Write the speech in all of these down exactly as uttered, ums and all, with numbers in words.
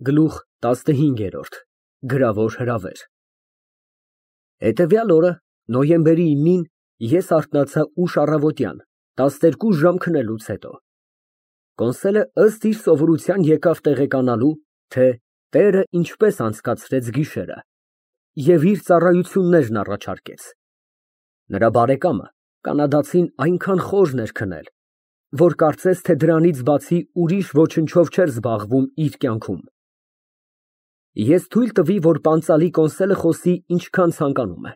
Գլուխ տասնհինգ։ Գրավոր հրավեր։ Հետևյալ օրը նոյեմբերի իննին ես արթնացա ուշ առավոտյան, տասներկու ժամ քնելուց հետո։ Կոնսոլը ըստ իր սովորության եկավ տեղեկանալու, թե տերը ինչպես անցկացրեց գիշերը և իր ծառայություններն առաջարկեց։ Նրա բարեկամը կանադացին այնքան խորն էր քնել, որ կարծես թե դրանից բացի ուրիշ ոչնչով չէր զբաղվում իր կյանքում։ Ես թույլ տվի, որ պանծալի Կոնսոլը խոսի ինչքան ցանկանում է։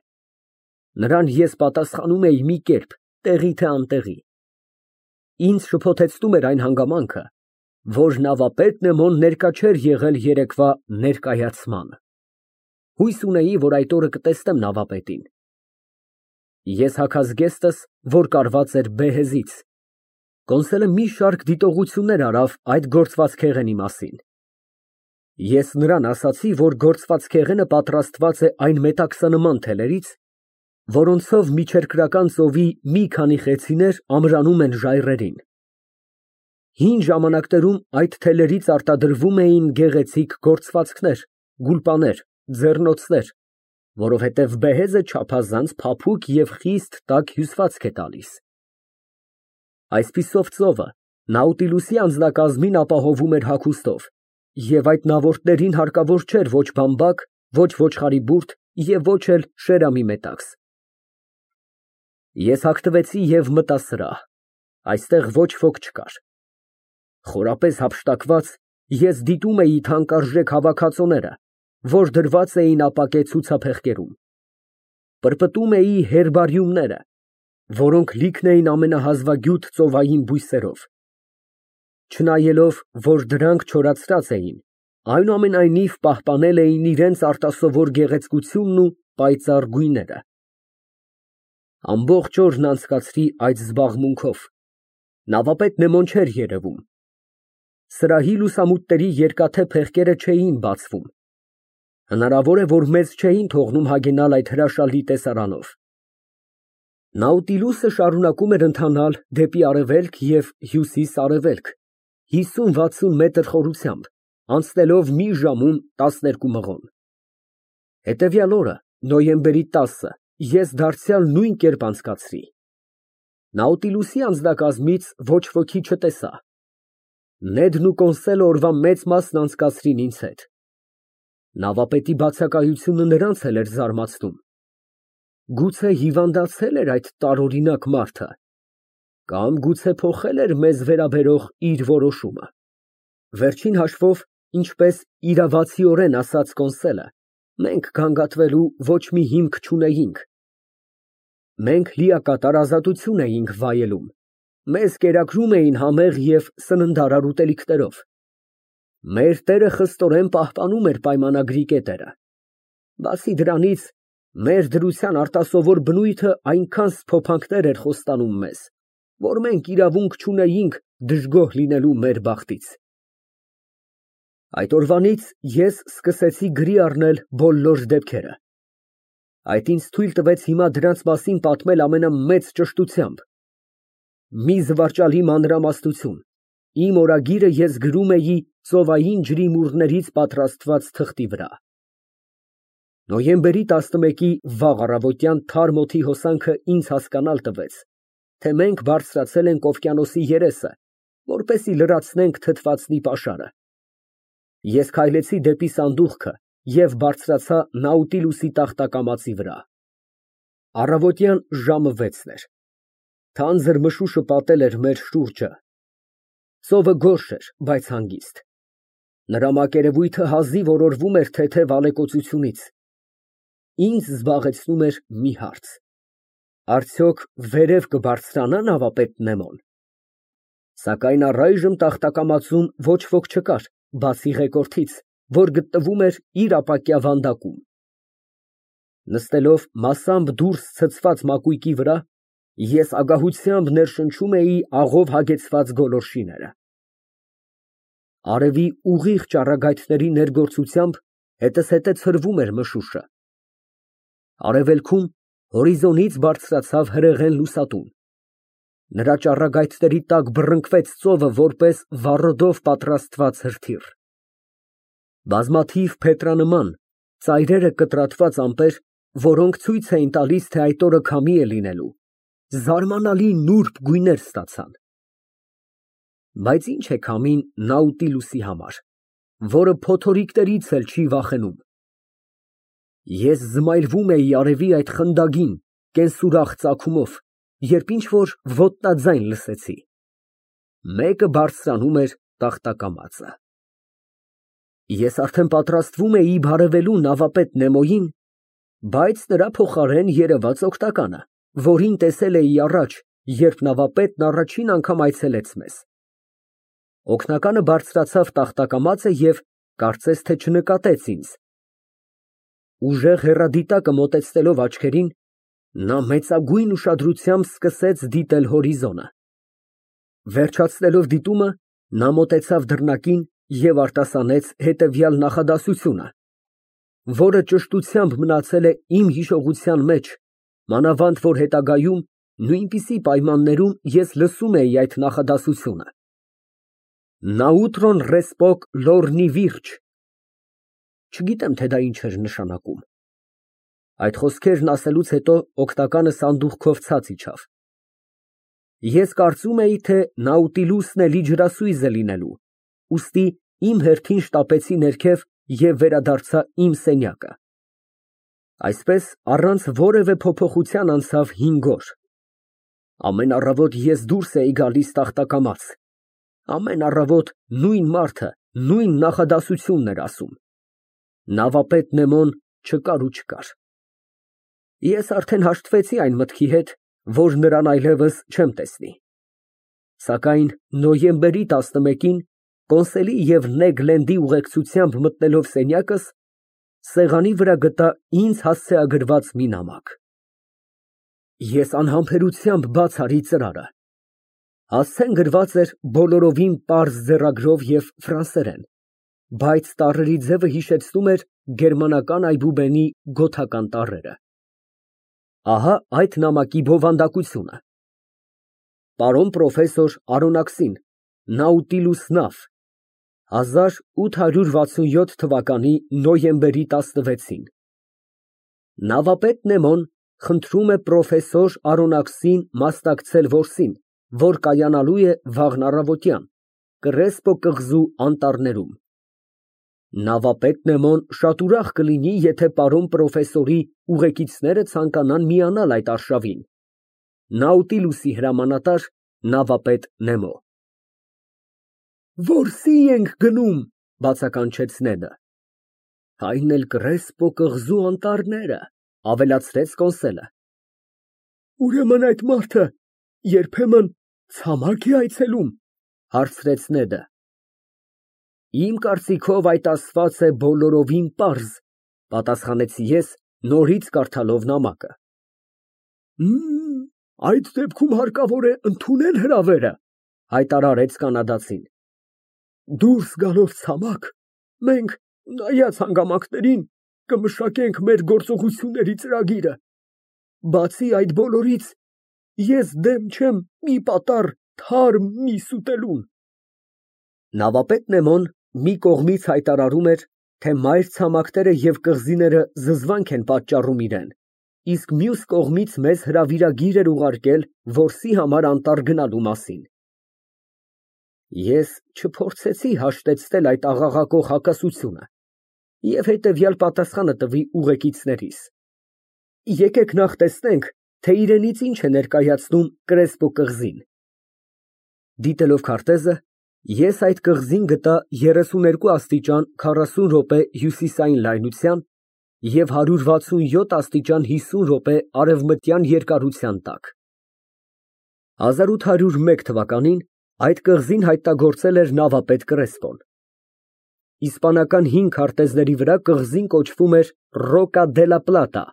Նրան ես պատասխանում էի մի կերպ, տեղի թե անտեղի։ Ինձ շփոթեցնում էր այն հանգամանքը, որ նավապետ Նեմոն ներկա չէր եղել երեկվա ներկայացմանը։ Հույս ունեի, որ այդ օրը կտեսնեմ նավապետին։ Ես հագած գեստս, որ կարված էր բեհեզից։ Կոնսոլը մի շարք դիտողություններ արավ այդ գործվածքեղենի մասին։ Ես նրան ասացի, որ գործվածքեղենը պատրաստված է այն մետաքսանման թելերից, որոնցով Միջերկրական ծովի մի քանի խեցիներ ամրանում են ժայռերին։ Հին ժամանակներում այդ թելերից արտադրվում էին գեղեցիկ գործվածքներ, գուլպաներ, ձեռնոցներ, որովհետև բեհեզը չափազանց փափուկ և խիստ տաք հյուսվածք է տալիս։ Այսպիսով ծովը Նաուտիլուսի անձնակազմին ապահովում էր հագուստով, և այդ նավորդներին հարկավոր չէր ոչ բամբակ, ոչ ոչխարի բուրդ և ոչ էլ շերամի մետաքս։ Ես հագնվեցի և մտա սրահ, այստեղ ոչ ոք չկար։ Խորապես հափշտակված, ես դիտում էի թանկարժեք հավաքածուները, որ դրված էին ապակե ցուցափեղկերում, պրպտում էի հերբարիումները, որոնք լիքն էին ամենահազվագյուտ ծովային բույսերով։ Չնայելով, որ դրանք չորացրած էին, այնուամենայնիվ պահպանել էին իրենց արտասովոր գեղեցկությունն ու պայծառ գույները։ Ամբողջ օրն անցկացրի այդ զբաղմունքով։ Նավապետ Նեմոն չէր երևում։ Սրահի լուսամուտների երկաթե փեղկերը չէին բացվում։ Հնարավոր է, որ մեզ չէին թողնում հագենալ այդ հրաշալի տեսարանով։ Նաուտիլուսը շարունակում էր ընթանալ դեպի արևելք և հյուսիս֊արևելք հիսուն֊վաթսուն մետր խորությամբ, անցնելով մի ժամում տասներկու մղոն։ Հետևյալ օրը, նոյեմբերի տասը, ես դարձյալ նույն կերպ անցկացրի։ Նաուտիլուսի անձնակազմից ոչ ոքի չտեսա։ Նեդն ու Կոնսոլը օրվա մեծ մասն անցկացրին ինձ հետ։ Նավապետի բացակայությունը նրանց էլ էր զարմացնում։ Գուցե հիվանդացել էր այդ տարօրինակ մարդը, կամ գուցե փոխել էր մեզ վերաբերող իր որոշումը։ Վերջին հաշվով, ինչպես իրավացիորեն ասաց Կոնսոլը, մենք գանգատվելու ոչ մի հիմք չունեինք։ Մենք լիակատար ազատություն էինք վայելում, մեզ կերակրում էին համեղ և սննդարար ուտելիքներով։ Մեր տերը խստորեն պահպանում էր պայմանագրի կետերը։ Բացի դրանից, մեր դրության արտասովոր բնույթը այնքան սփոփանքներ էր խոստանում մեզ, որ մենք իրավունք չունեինք դժգոհ լինելու մեր բախտից։ Այդ օրվանից ես սկսեցի գրի առնել բոլոր դեպքերը։ Այդ ինձ թույլ տվեց հիմա դրանց մասին պատմել ամենամեծ ճշտությամբ։ Մի զվարճալի մանրամասնություն, իմ օրագիրը ես գրում էի ծովային ջրիմուռներից պատրաստված թղթի վրա։ Նոյեմբերի տասնմեկի վաղ առավոտյան թարմ օդի հոսանքը ինձ հասկանալ տվեց, թե մենք բարձրացել ենք օվկիանոսի երեսը, որպեսզի լրացնենք թթվածնի պաշարը։ Ես քայլեցի դեպի սանդուղքը և բարձրացա Նաուտիլուսի տախտակամածի վրա։ Առավոտյան ժամը վեցն էր։ Թանձր մշուշը պատել էր մեր շուրջը։ Ծովը գորշ էր, բայց հանգիստ։ Նրա մակերևույթը հազիվ օրորվում էր թեթև ալեկոծությունից։ Ինձ զբաղեցնում էր մի հարց. արդյոք վերև կբարձրանա նավապետ Նեմոն։ Սակայն առայժմ տախտակամածում ոչ ոք չկար, բացի ղեկորդից, որ գտնվում էր իր ապակյա վանդակում։ Նստելով մասամբ դուրս ցցված մակույկի վրա, ես ագահությամբ ներշնչում էի աղով հագեցված գոլորշիները։ Արևի ուղիղ ճառագայթների ներգործությամբ հետզհետե ցրվում էր մշուշը։ Արևելքում հորիզոնից բարձրացավ հրեղեն լուսատուն։ Նրա ճառագայթների տակ բռնկվեց ծովը որպես վառոդով պատրաստված հրթիռ։ Բազմաթիվ փետրանման, ծայրերը կտրատված ամպեր, որոնք ցույց էին տալիս, թե այդ օրը քամի է լինելու, զարմանալի նուրբ գույներ ստացան։ Բայց ինչ է քամին Նաուտիլուսի համար, որը փոթորիկներից էլ չի վախենում։ Ես զմայրվում էի արևի այդ խնդագին, կենսուրախ ծագումով, երբ ինչ-որ ոտնաձայն լսեցի։ Մեկը բարձրանում էր տախտակամածը։ Ես արդեն պատրաստվում էի բարևելու նավապետ Նեմոյին, բայց նրա փոխարեն երևաց օգնականը, որին տեսել էի առաջ, երբ նավապետն առաջին անգամ այցելեց մեզ։ Օգնականը բարձրացավ տախտակամածը և կարծես թե չնկատեց ինձ։ Ուժեղ հեռադիտակը մոտեցնելով աչքերին, նա մեծագույն ուշադրությամբ սկսեց դիտել հորիզոնը։ Վերջացնելով դիտումը, նա մոտեցավ դռնակին և արտասանեց հետևյալ նախադասությունը, որը ճշտությամբ մնացել է իմ հիշողության մեջ, մանավանդ որ հետագայում նույնպիսի պայմաններում ես լսում էի այդ նախադասությունը. Նաուտրոն ռեսպոկ լորնի վիրջ։ Չգիտեմ, թե դա ինչ էր նշանակում։ Այդ խոսքերն ասելուց հետո օգնականը սանդուղքով ցած իջավ։ Ես կարծում էի, թե Նաուտիլուսն էլի ջրասույզ է լինելու, ուստի իմ հերթին շտապեցի ներքև և վերադարձա իմ սենյակը։ Այսպես առանց որևէ փոփոխության անցավ հինգ օր։ Ամեն առավոտ ես դուրս էի գալիս տախտակամաց։ Ամեն առավոտ նույն մարդը նույն նախադասությունն էր ասում։ Նավապետ Նեմոն չկար ու չկար։ Ես արդեն հաշտվեցի այն մտքի հետ, որ նրան այլևս չեմ տեսնի։ Սակայն նոյեմբերի տասնմեկին Կոնսելի և Նեգ Լենդի ուղեկցությամբ մտնելով սենյակս, սեղանի վրա գտա ինձ հասցեագրված մի նամակ։ Ես անհամբերությամբ բաց արի ծրարը։ Հասցեն գրված էր բոլորովին պարզ ձեռագրով և ֆրանսերեն, բայց տառերի ձևը հիշեցնում էր գերմանական այբուբենի գոթական տառերը։ Ահա այդ նամակի բովանդակությունը. Պարոն պրոֆեսոր Արոնաքսին, Նաուտիլուս նավ, հազար ութ հարյուր վաթսունյոթ թվականի նոյեմբերի տասնվեցին։ Նավապետ Նեմոն խնդրում է պրոֆեսոր Արոնաքսին մասնակցել որսին, որ կայանալու է վաղն առավոտյան Կռեսպո կղզու անտառներում։ Նավապետ Նեմոն շատ ուրախ կլինի, եթե պարոն պրոֆեսորի ուղեկիցները ցանկանան միանալ այդ արշավին։ Նաուտիլուսի հրամանատար նավապետ Նեմո։ Որսի ենք գնում, բացականչեց Նեդը։ Այն էլ Կռեսպո կղզու անտառները, ավելացրեց Կոնսելը։ Ուրեմն այդ մարդը երբեմն ցամաք է այցելում, հարցրեց Նեդը։ Իմ կարծիքով այդ ասված է բոլորովին պարզ, պատասխանեցի ես, նորից կարդալով նամակը։ Այդ դեպքում հարկավոր է ընդունել հրավերը, հայտարարեց կանադացին։ Դուրս գալով ցամաք, մենք, նայած հանգամանքներին, կմշակենք մեր գործողությունների ծրագիրը։ Բացի այդ բոլորից, ես դեմ չեմ մի պատառ թարմ միս ուտելուն։ Նավապետ Նեմոն մի կողմից հայտարարում էր, թե մայր ցամաքները և կղզիները զզվանք են պատճառում իրեն, իսկ մյուս կողմից մեզ հրավիրագիր էր ուղարկել որսի համար անտառ գնալու մասին։ Ես չփորձեցի հաշտեցնել այդ աղաղակող հակասությունը և հետևյալ պատասխանը տվի ուղեկիցներիս. Եկեք նախ տեսնենք, թե իրենից ինչ է ներկայացնում Կռեսպո կղզին։ Դիտելով քարտեզը, ես այդ կղզին գտա երեսուներկու աստիճան քառասուն րոպե հյուսիսային լայնության և հարյուր վաթսունյոթ աստիճան հիսուն րոպե արևմտյան երկարության տակ։ հազար ութ հարյուր մեկ թվականին այդ կղզին հայտնագործել էր նավապետ Կռեսպոն։ Իսպանական հին քարտեզների վրա կղզին կոչվում էր Ռոկա դե լա Պլատա,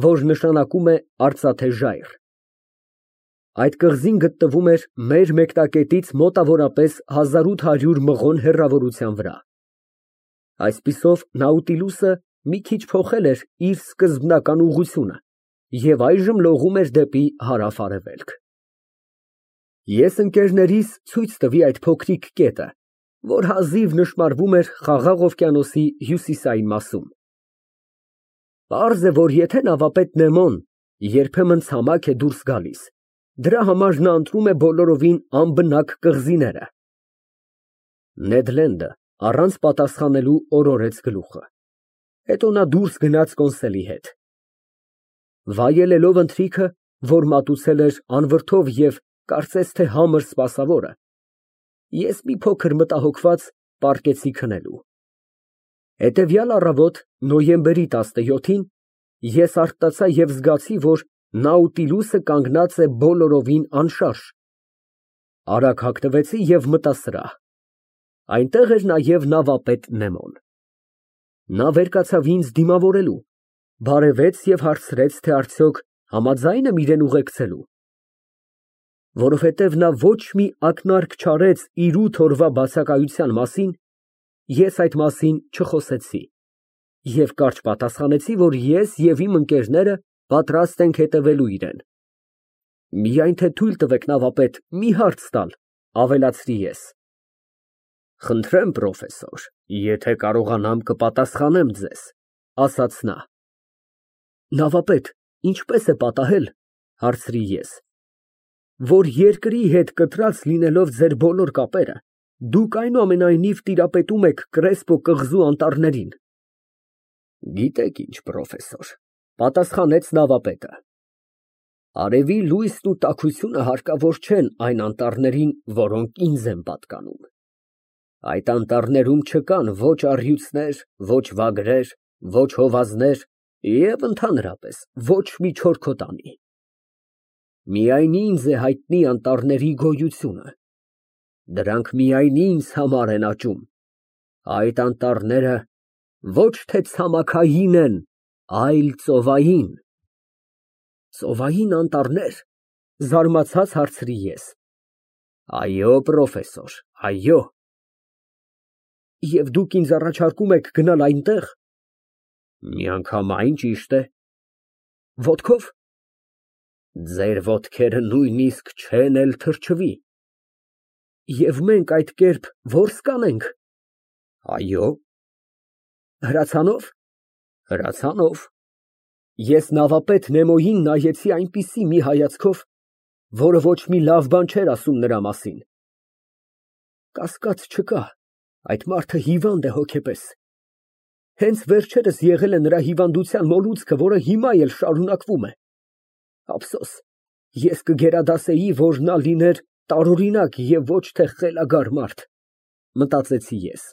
որ նշանակում է արծաթե ժայռ։ Այդ կղզին գտնվում էր մեր մեկնակետից մոտավորապես հազար ութ հարյուր մղոն հեռավորության վրա։ Այսպիսով Նաուտիլուսը մի քիչ փոխել էր իր սկզբնական ուղղությունը և այժմ լողում էր դեպի հարավ֊արևելք։ Ես ընկերներիս ցույց տվի այդ փոքրիկ կետը, որ հազիվ նշմարվում էր Խաղաղ օվկիանոսի հյուսիսային մասում։ Պարզ է, որ եթե նավապետ Նեմոն երբեմն ցամաք է դուրս գալիս, դրա համար նա ընտրում է բոլորովին անբնակ կղզիները։ Նեդ Լենդը առանց պատասխանելու օրորեց գլուխը։ Հետո նա դուրս գնաց կոնսոլի հետ։ Վայելելով ընթրիքը, որ մատուցել էր անվրդով և կարծես թե համր սպասավորը, ես մի փոքր մտահոգված պառկեցի քնելու։ Հետևյալ առավոտ, նոյեմբերի տասնյոթին, ես արթնացա և զգացի, որ Նաուտիլուսը կանգնած է բոլորովին անշարժ։ Արագ հագնվեցի և մտա սրահ։ Այնտեղ էր նաև նավապետ Նեմոն։ Նա վեր կացավ ինձ դիմավորելու, բարևեց և հարցրեց, թե արդյոք համաձա՞յն եմ իրան ուղեկցելու։ Որովհետև նա ոչ մի ակնարկ չարեց իր ութ օրվա բացակայության մասին, ես այդ մասին չխոսեցի և կարճ պատասխանեցի, որ ես և իմ ընկերները պատրաստ ենք հետևելու իրան։ Միայն թե թույլ տվեք, նավապետ, մի հարց տալ, ավելացրի ես։ Խնդրեմ, պրոֆեսոր, եթե կարողանամ, կպատասխանեմ ձեզ, ասաց նա։ Նավապետ, ինչպե՞ս է պատահել, հարցրի ես, որ երկրի հետ կտրած լինելով ձեր բոլոր կապերը, դուք այնուամենայնիվ տիրապետում եք Կրեսպո կղզու անտառներին։ Գիտեք ինչ, պրոֆեսոր, պատասխանեց նավապետը, արևի լույսն ու տաքությունը հարկավոր չեն այն անտառներին, որոնք ինձ են պատկանում։ Այդ անտառներում չկան ոչ առյուծներ, ոչ վագրեր, ոչ հովազներ և ընդհանրապես ոչ մի չորքոտանի։ Միայն ինձ է հայտնի անտառների գոյությունը։ Դրանք միայն ինձ համար են աճում։ Այդ անտառները ոչ թե ցամաքային են, այլ ծովային։ Ծովային անտառնե՞ր, զարմացած հարցրի ես։ Այո, պրոֆեսոր, այո։ Եվ դուք ինձ առաջարկում եք գնալ այնտեղ։ Միանգամայն ճիշտ է։ Ոտքո՞վ։ Ձեր ոտքերը նույնիսկ չեն էլ թրջվի։ Եվ մենք այդ կերպ որս կանենք։ Այո։ Հրացանո՞վ։ Հրացանով։ Ես նավապետ Նեմոյին նայեցի այնպիսի մի հայացքով, որը ոչ մի լավ բան չէր ասում նրա մասին։ Կասկած չկա, այդ մարդը հիվանդ է հոգեպես։ Հենց վերջերս եղել է նրա հիվանդության մոլուցքը, որը հիմա էլ շարունակվում է։ Ափսոս, ես կգերադասեի, որ նա լիներ տարօրինակ և ոչ թե խելագար մարդ, մտածեցի ես։